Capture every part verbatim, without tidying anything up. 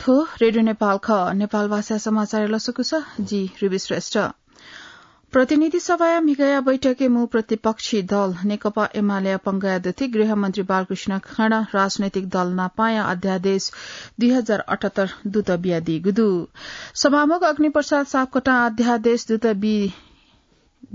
थ्व रेडियो नेपाल खः। नेपाल भाषा समाचार लसकुस, जि रिबी श्रेष्ठ। प्रतिनिधि सभाया म्हिगया बैठकय् मू प्रतिपक्षी दल नेकपा एमालेया पंगया दथुइ गृहमन्त्री बालकृष्ण खाँडं राजनैतिक दल नापांया अध्यादेश दुई हजार अठहत्तर दूत बियादीगु दु। सभामुख अग्निप्रसाद सापकोटां अध्यादेश दूत बी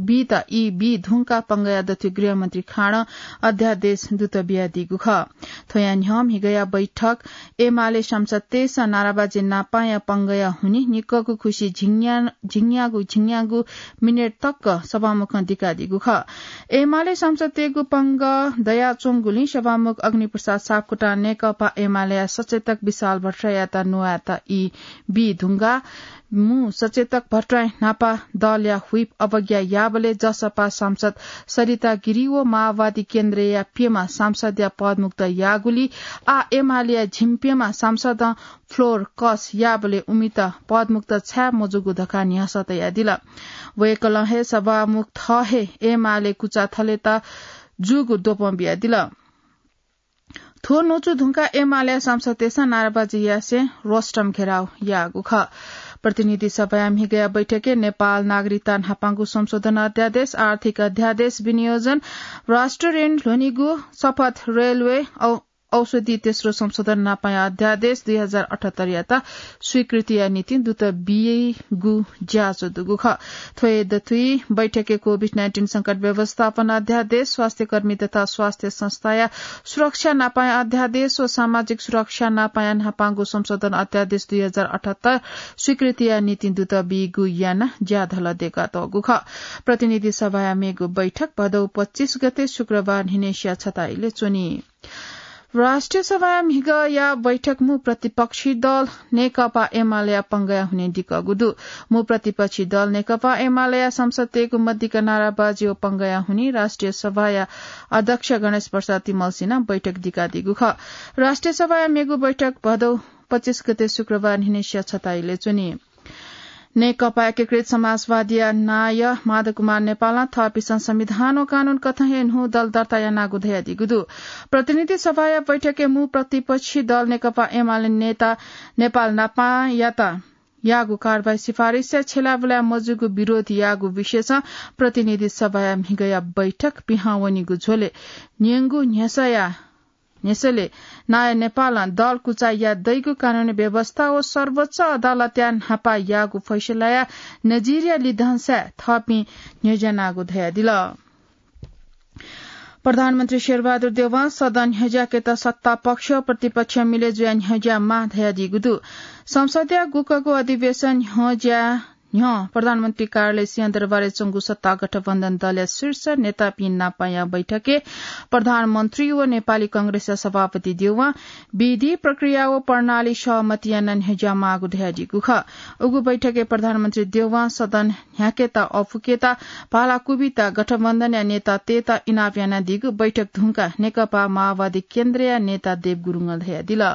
बीत ई बी धुंका पंगया दथुइ गृहमन्त्री खाँडं अध्यादेश दूत बियादीगु खः। थ्वया न्ह्यः म्हिगया बैठक एमाले सांसदतय्सं नाराबाजी नापांया पंगया हुनि निक्कगु खुसि झिंग्या-, झिंग्यागु, झिंग्यागु मिनेट तक सभामुखं दिकादीगु खः। एमाले सांसदतय्गु पंग दयाच्वंगुलिं सभामुख अग्निप्रसाद सापकोटां नेकपा एमालेया सचेतक विशाल भट्टराईयात न्ववायेत ई बी धुंका मू सचेतक भट्टराई न्हापा दलया व्हिप अवज्ञा याःबलय् जसपा सांसद सरिता गिरी व माओवादी केन्द्रया प्यम्ह सांसदया पदमुक्त याःगुलिं आः एमालेया झिंप्यम्ह सांसदं floor कस याःबलय् उमित पदमुक्त छाय् मजूगु धकाः न्ह्यसः तयादिल। वय्कलं हे सभामुख थः हे एमाले कुचा थलेत जूगु द्वपं बियादिल। थ्व न्वचु धुंकाः एमालेया सांसदतय्सं नाराबाजी यासें रोस्ट्रम घेराउ याःगु खः। प्रतिनिधि सभाया म्हिगया बैठकय् नेपाल नागरिकता न्हापांगु संशोधन अध्यादेश, आर्थिक अध्यादेश विनियोजन, राष्ट्र ऋण ल्ह्वनीगु शपथ, रेलवे औ-, औषधि तेस्रो संशोधन न्हापांया अध्यादेश दुई हजार अठहत्तरयात स्वीकृतिया निंतिं दूत बियादीगु ज्याझ्वः दुगु खः। थ्व हे दथुइ बैठकय् कोभिड नाइन्टिन संकट व्यवस्थापन अध्यादेश, स्वास्थ्यकर्मी तथा स्वास्थ्य संस्थाया सुरक्षा नापांया अध्यादेश व सामाजिक सुरक्षा नापांया न्हापांगु संशोधन अध्यादेश दुई हजार अठहत्तर स्वीकृतिया निंतिं दूत बीगु यानाः ज्याझ्वः दय्कातःगु खः। प्रतिनिधि सभाया मेगु बैठक भदौ पच्चिस गते शुक्रबार न्हिनय्सिया छता इलय् च्वनी। राष्ट्रिय सभाया म्हिगया बैठक मू प्रतिपक्षी दल नेकपा एमालेया पंगया हुनिं दिकःगु दु। मू प्रतिपक्षी दल नेकपा एमालेया सांसदतय्गु मदिक्क नाराबाजी व पंगया हुनिं राष्ट्रिय सभाया अध्यक्ष गणेश प्रसाद तिमल्सिनं बैठक दिकादीगु खः। राष्ट्रिय सभाया मेगु बैठक भदौ पच्चिस गते शुक्रबार न्हिनय्सिया छता इलय् च्वनी। नेकपा एकीकृत समाजवादीया नायः माधव कुमार नेपालं थःपिन्सं संविधान व कानून कथं हे न्हू दल दर्ता यानागु धयादीगु दु। प्रतिनिधि सभाया बैठकय् मू प्रतिपक्षी दल नेकपा एमाले नेता नेपाल नापांयात याःगु कारवाही सिफारिसया छ्यलाबुलाय् मजूगु विरोध याःगु विषयसं प्रतिनिधि सभाया म्हिगया बैठक पिहां वनीगु झ्वलय् न्यंगु न्ह्यसःया न्ह्यसःले नायः नेपालं दल कुचा याये दइगु कानूनी व्यवस्था व सर्वोच्च अदालतया न्हापा याःगु फैसलाया नजिरया लिधंसाय् थःपिं न्ह्यज्यानागु धयादिल। प्रधानमन्त्री शेरबहादुर देउवां सदन न्ह्यज्याकेत सत्तापक्ष व प्रतिपक्ष मिले जुयाः न्ह्यज्यायेमाः धयादीगु दु। संसदया गुकगु अधिवेशन न्ह्यज्याये न्ह्यः प्रधानमन्त्री कार्यालय सिंहदरबारय् च्वंगु सत्ता गठबन्धन दलया शीर्ष नेतापिं नापांया बैठकय् प्रधानमन्त्री व नेपाली कांग्रेसया सभापति देउवां विधि, प्रक्रिया व प्रणाली सहमति यानाः न्ह्यज्यायेमाःगु धयादीगु खः। उगु बैठकय् प्रधानमन्त्री देउवां सदन न्ह्याकेत अःपुकेत भाला क्वबित गठबन्धनया नेतातय्त इनाप यानादीगु बैठक धुंकाः नेकपा माओवादी केन्द्रया नेता देव गुरुङं धयादिल।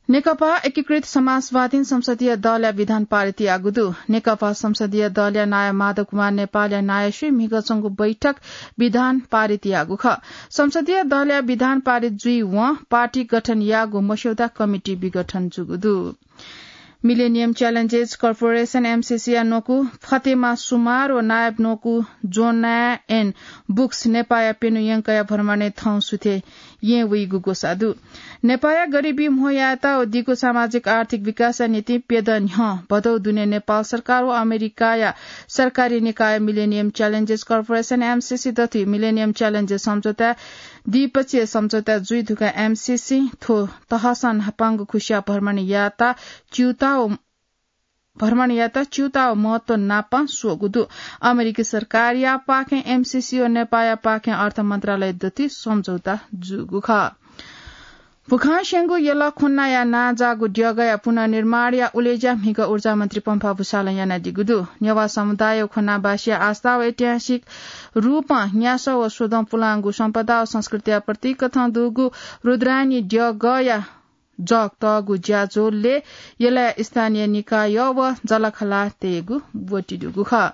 नेकपा एकीकृत समाजवादीं संसदीय दलया विधान पारित याःगु दु। नेकपा संसदीय दलया नायः माधव कुमार नेपालया नायःसुइ म्हिगः च्वंगु बैठक विधान पारित याःगु खः। संसदीय दलया विधान पारित जुइवं पार्टी गठन याःगु मस्यौदा कमिटी विघटन जूगु दु। Millennium Challenges Corporation, एमसीसी या न्वकू फतेमा सुमार व नायब न्वकू जोनायन बुक्स नेपाःया प्यन्हु यंकया भ्रमणय् थौं सुथय् येँ वइगु ग्वसाः दु। नेपाःया गरिबी म्हो यायेत व दीगु सामाजिक आर्थिक विकासया निंतिं प्यदँ न्ह्यः भदौ दुने नेपाल सरकार व अमेरिकाया सरकारी निकाय Millennium Challenges Corporation, एमसीसी दथुइ Millennium Challenges सम्झौता द्विपक्षीय सम्झौता जुइ धुंकाः एमसीसी थ्व तहसं न्हापांगु खुसिया भ्रमण यायेत च्यूताः व भ्रमण यायेत च्यूताः व महत्व नापं स्वःगु दु। अमेरिकी सरकारया पाखें एमसीसी व नेपाःया पाखें अर्थ मन्त्रालय दथुइ सम्झौता जूगु खः। भुखांस्यंगु यल ख्वनाया नांजाःगु द्यःगया पुनर्निर्माणया उलेज्या म्हिगः ऊर्जा मन्त्री पम्फा भुसालं यानादीगु दु। नेवाः समुदाय व ख्वनावासीया आस्था व ऐतिहासिक रूपं न्यासः व स्वदँ पुलांगु सम्पदा व संस्कृतिया प्रतीक कथं दुगु रुद्रायणी द्यःगया जग तःगु ज्याझ्वलय् यलया स्थानीय निकाय व जःलाखःलातय्गु ब्वति दुगु खः।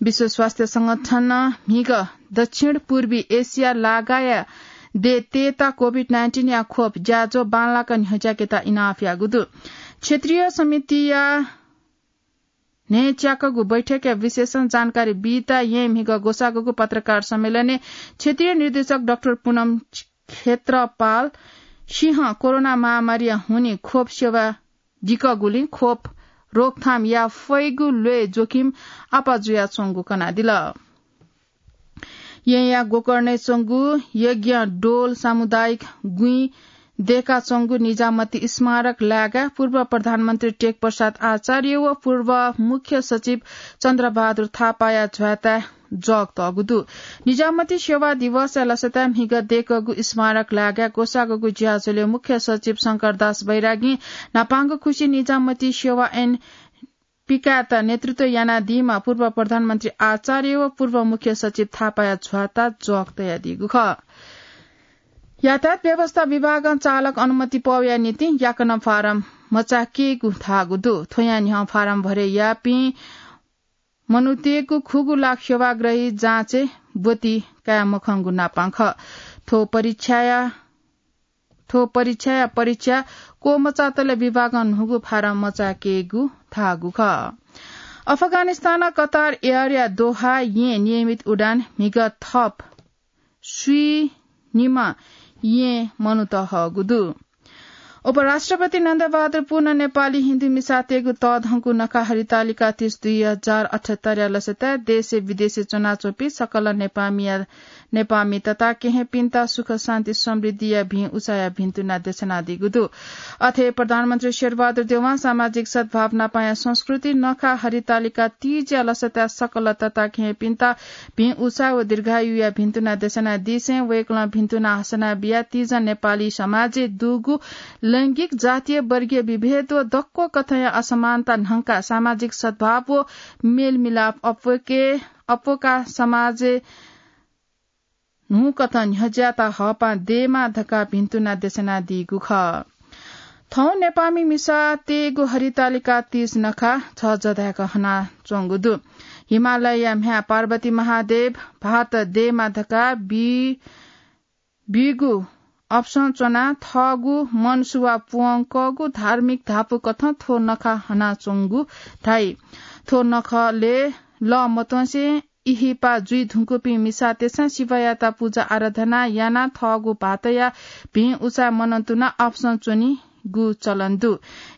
विश्व स्वास्थ्य संगठनं म्हिगः दक्षिण पूर्वी एसिया लागाया दे तयेत कोभिड नाइन्टिन या खोप ज्याझ्वः बांलाक न्ह्यज्याकेत इनाप याःगु दु। क्षेत्रीय समितिया न्हय्च्याकःगु बैठकया विशेषं जानकारी बीत येँ म्हिगः ग्वसाःगु पत्रकार सम्मेलनय् क्षेत्रीय निर्देशक डाक्टर पुनम क्षेत्रपाल सिंहं कोरोना महामारीया हुनिं खोप सेवा दिकःगुलिं खोप रोकथाम याये फइगु ल्वय् जोखिम आपाः जुयाच्वंगु कनादिल। येँया गोकर्णय् च्वंगु यज्ञ डोल सामुदायिक गुँइ दय्काच्वंगु निजामती स्मारक लाय्गाय् पूर्व प्रधानमन्त्री टेकप्रसाद आचार्य व पूर्व मुख्य सचिव चन्द्रबहादुर थापाया झ्वाताय् जग तःगु दु। निजामती सेवा दिवसया लसताय् म्हिगः दय्कःगु स्मारक लाय्गाय् ग्वसाःगु ज्याझ्वलय् मुख्य सचिव शंकरदास बैरागीं न्हापांगु खुसि निजामती सेवा ऐन पिकायेत नेतृत्व यानादीम्ह पूर्व प्रधानमन्त्री आचार्य व पूर्व मुख्य सचिव थापाया झ्वाता जग तयादीगु खः। यातायात व्यवस्था विभागं चालक अनुमति पौया निंतिं याकनं फारम मचाकेगु धाःगु दु। थ्वया न्ह्यः फारम भरे याःपिं मनूतय्गु खुगू लाख सेवाग्राही जाँचय् ब्वति काये मखंगु नापां खः। थ्व परीक्षाया थ्व परीक्षाया परीक्षा क्वमचातले विभागं न्हूगु फारम मचाकेगु धाःगु खः। अफगानिस्तान कतार एयरया दोहा येँ नियमित उडान म्हिगः थप स्वीनिम्ह येँ मनूत हःगु दु। उपराष्ट्रपति नन्दबहादुर पुन नेपाली हिन्दू मिसातय्गु तःधंगु नखा हरितालिका तीस दुई हजार अठहत्तरया लसताय् देशय् विदेशय् च्वनाच्वंपिं सकल नेपामिया नेपामि तता केहेँपिन्त सुख शान्ति समृद्धिया भिं उचाया भिन्तुना देछानादीगु दु। अथे प्रधानमन्त्री शेरबहादुर देवां सामाजिक सद्भाव नापाया संस्कृति नखा हरितालिका तीजया लसताय् सकल तता केहेँपिन्त भिं उचा व दीर्घायुया भिन्तुना देछानादीसें वय्कलं भिन्तुना हसना बिया तीजं नेपाली समाजय् दुगु लैंगिक, जातीय, वर्गीय विभेद व दक्व कथंया असमानता न्हंका सामाजिक सद्भाव व मेलमिलाप अप्वके अप्वका समाजय् न्हूकथं न्ह्यज्यात हःपां देमा धकाः भिन्तुना देछानादीगु खः। थौं नेपामि मिसातय्गु हरितालिका तीस नखा झःझः धाय्क हनाच्वंगु दु। हिमालयया म्ह्याय् पार्वती महादेव भाःत देमा धकाः बी बीगु अपसं च्वनाः थःगु मनसुवा प्वंकःगु धार्मिक धापू कथं थ्व नखा हनाच्वंगु धाइ। थ्व नखलय् लः मत्वंसे इहिपा जुइ धुंकूपिं मिसातय्सं शिवयात पुजा आराधना यानाः थःगु भाःतया भिं उचाय् मनंतुनाः अपसं च्वनीगु चलन दु।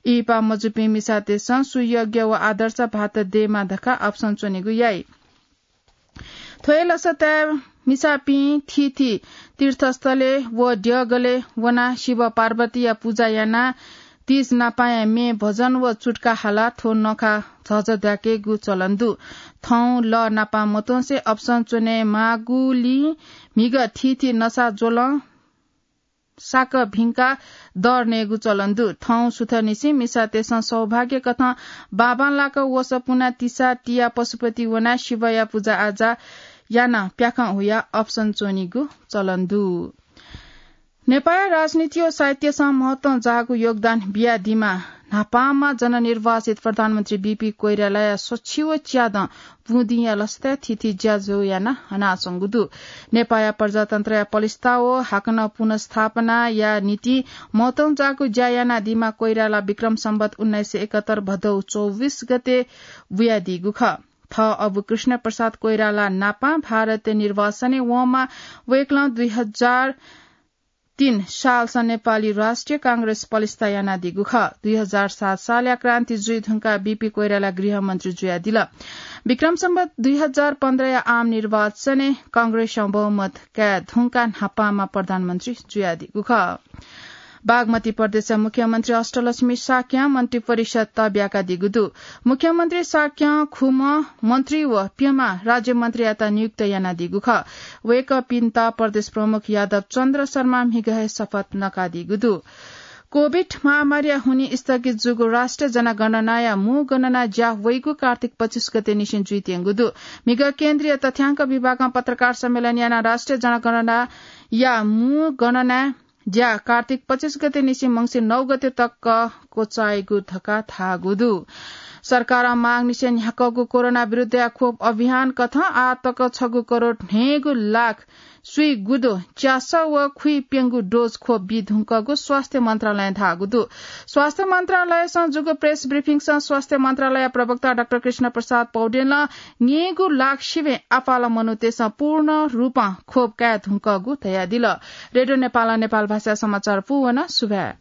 इहिपा मजूपिं मिसातय्सं सुयज्ञ व आदर्श भाःत देमा धकाः अपसं च्वनीगु याइ। थ्व हे लसताय् मिसापिं थीथी तीर्थस्थलय् व द्यःगलय् वनाः शिव पार्वतीया पुजा यानाः तीज नापांया म्ये भजन व चुट्का हालाः थ्व नखा झःझः धाय्केगु चलन दु। थौं लः नापं मत्वंसे अपसं च्वनेमाःगुलिं म्हिगः थीथी नसा ज्वलं साकं भिंकाः दर नयेगु चलन दु। थौं सुथंनिसें मिसातय्सं सौभाग्य कथं बांबांलाक वसः पुनाः तिसा तियाः पशुपति वनाः शिवया पुजाआजा यानाः प्याखं हुयाः अपसं च्वनीगु चलन दु। नेपाःया राजनीति व साहित्यसं महत्वं जाःगु योगदान बियादीम्ह न्हापांम्ह जननिर्वाचित प्रधानमन्त्री बीपी कोइरालाया सछि व च्यादँ बुँदिंया लसताय् थीथी ज्याझ्वः यानाः हनाच्वंगु दु। नेपाःया प्रजातन्त्रया पलिस्था व हाकनं पुनर्स्थापनाया निंतिं महत्वं जाःगु ज्या यानादीम्ह कोइराला विक्रम सम्वत उन्नाइस सय एकहत्तर भदौ चौबिस गते बुयादीगु खः। थः अबु कृष्ण प्रसाद कोइराला नापं भारतय् निर्वासनय् वंम्ह वय्कलं दुई हजार तीन सालसं नेपाली राष्ट्रिय कांग्रेस पलिस्था यानादीगु खः। दुई हजार सात सालया क्रान्ति जुइ धुंकाः बीपी कोइराला गृहमन्त्री जुयादिल। विक्रम सम्वत दुई हजार पन्ध्रया आम निर्वाचनय् कांग्रेसं बहुमत काये धुंकाः न्हापांम्ह प्रधानमन्त्री जुयादीगु खः। बागमती प्रदेशया मुख्यमन्त्री अष्टलक्ष्मी शाक्यं मन्त्री परिषद तःब्याकादीगु दु। मुख्यमन्त्री शाक्यं खुम्ह मन्त्री व प्यम्ह राज्यमन्त्रीयात नियुक्त यानादीगु खः। वय्कःपिन्त प्रदेश प्रमुख यादव चन्द्र शर्मां म्हिगः हे शपथ नकादीगु दु। कोभिड महामारीया हुनिं स्थगित जूगु राष्ट्रिय जनगणनाया मू गणना ज्या वइगु कार्तिक पच्चिस गते निसें जुइत्यंगु दु। म्हिगः केन्द्रीय तथ्यांक विभागं पत्रकार सम्मेलन यानाः राष्ट्रिय जनगणनाया मू गणना ज्या कार्तिक पच्चिस गते निसें मंसिर नौ गते तक क्वचाइगु धकाः धाःगु दु। सरकारं मागंनिसें न्ह्याकःगु कोरोना विरुद्धया खोप अभियान कथं आः तक छगू करोड न्हय्गू लाख स्वीगुदु च्यास व खुइप्यंगु डोज खोप बी धुंकःगु स्वास्थ्य मन्त्रालयं धाःगु दु। स्वास्थ्य मन्त्रालयसं जूगु प्रेस ब्रिफिङसं स्वास्थ्य मन्त्रालय प्रवक्ता डाक्टर कृष्ण प्रसाद पौडेलं न्ययेगु लाख सिबें आपालं मनूतय्सं पूर्ण रूपं खोप काये धुंकःगु धयादिल। रेडियो नेपालं नेपाल भाषा समाचार पूवन सुभाय्।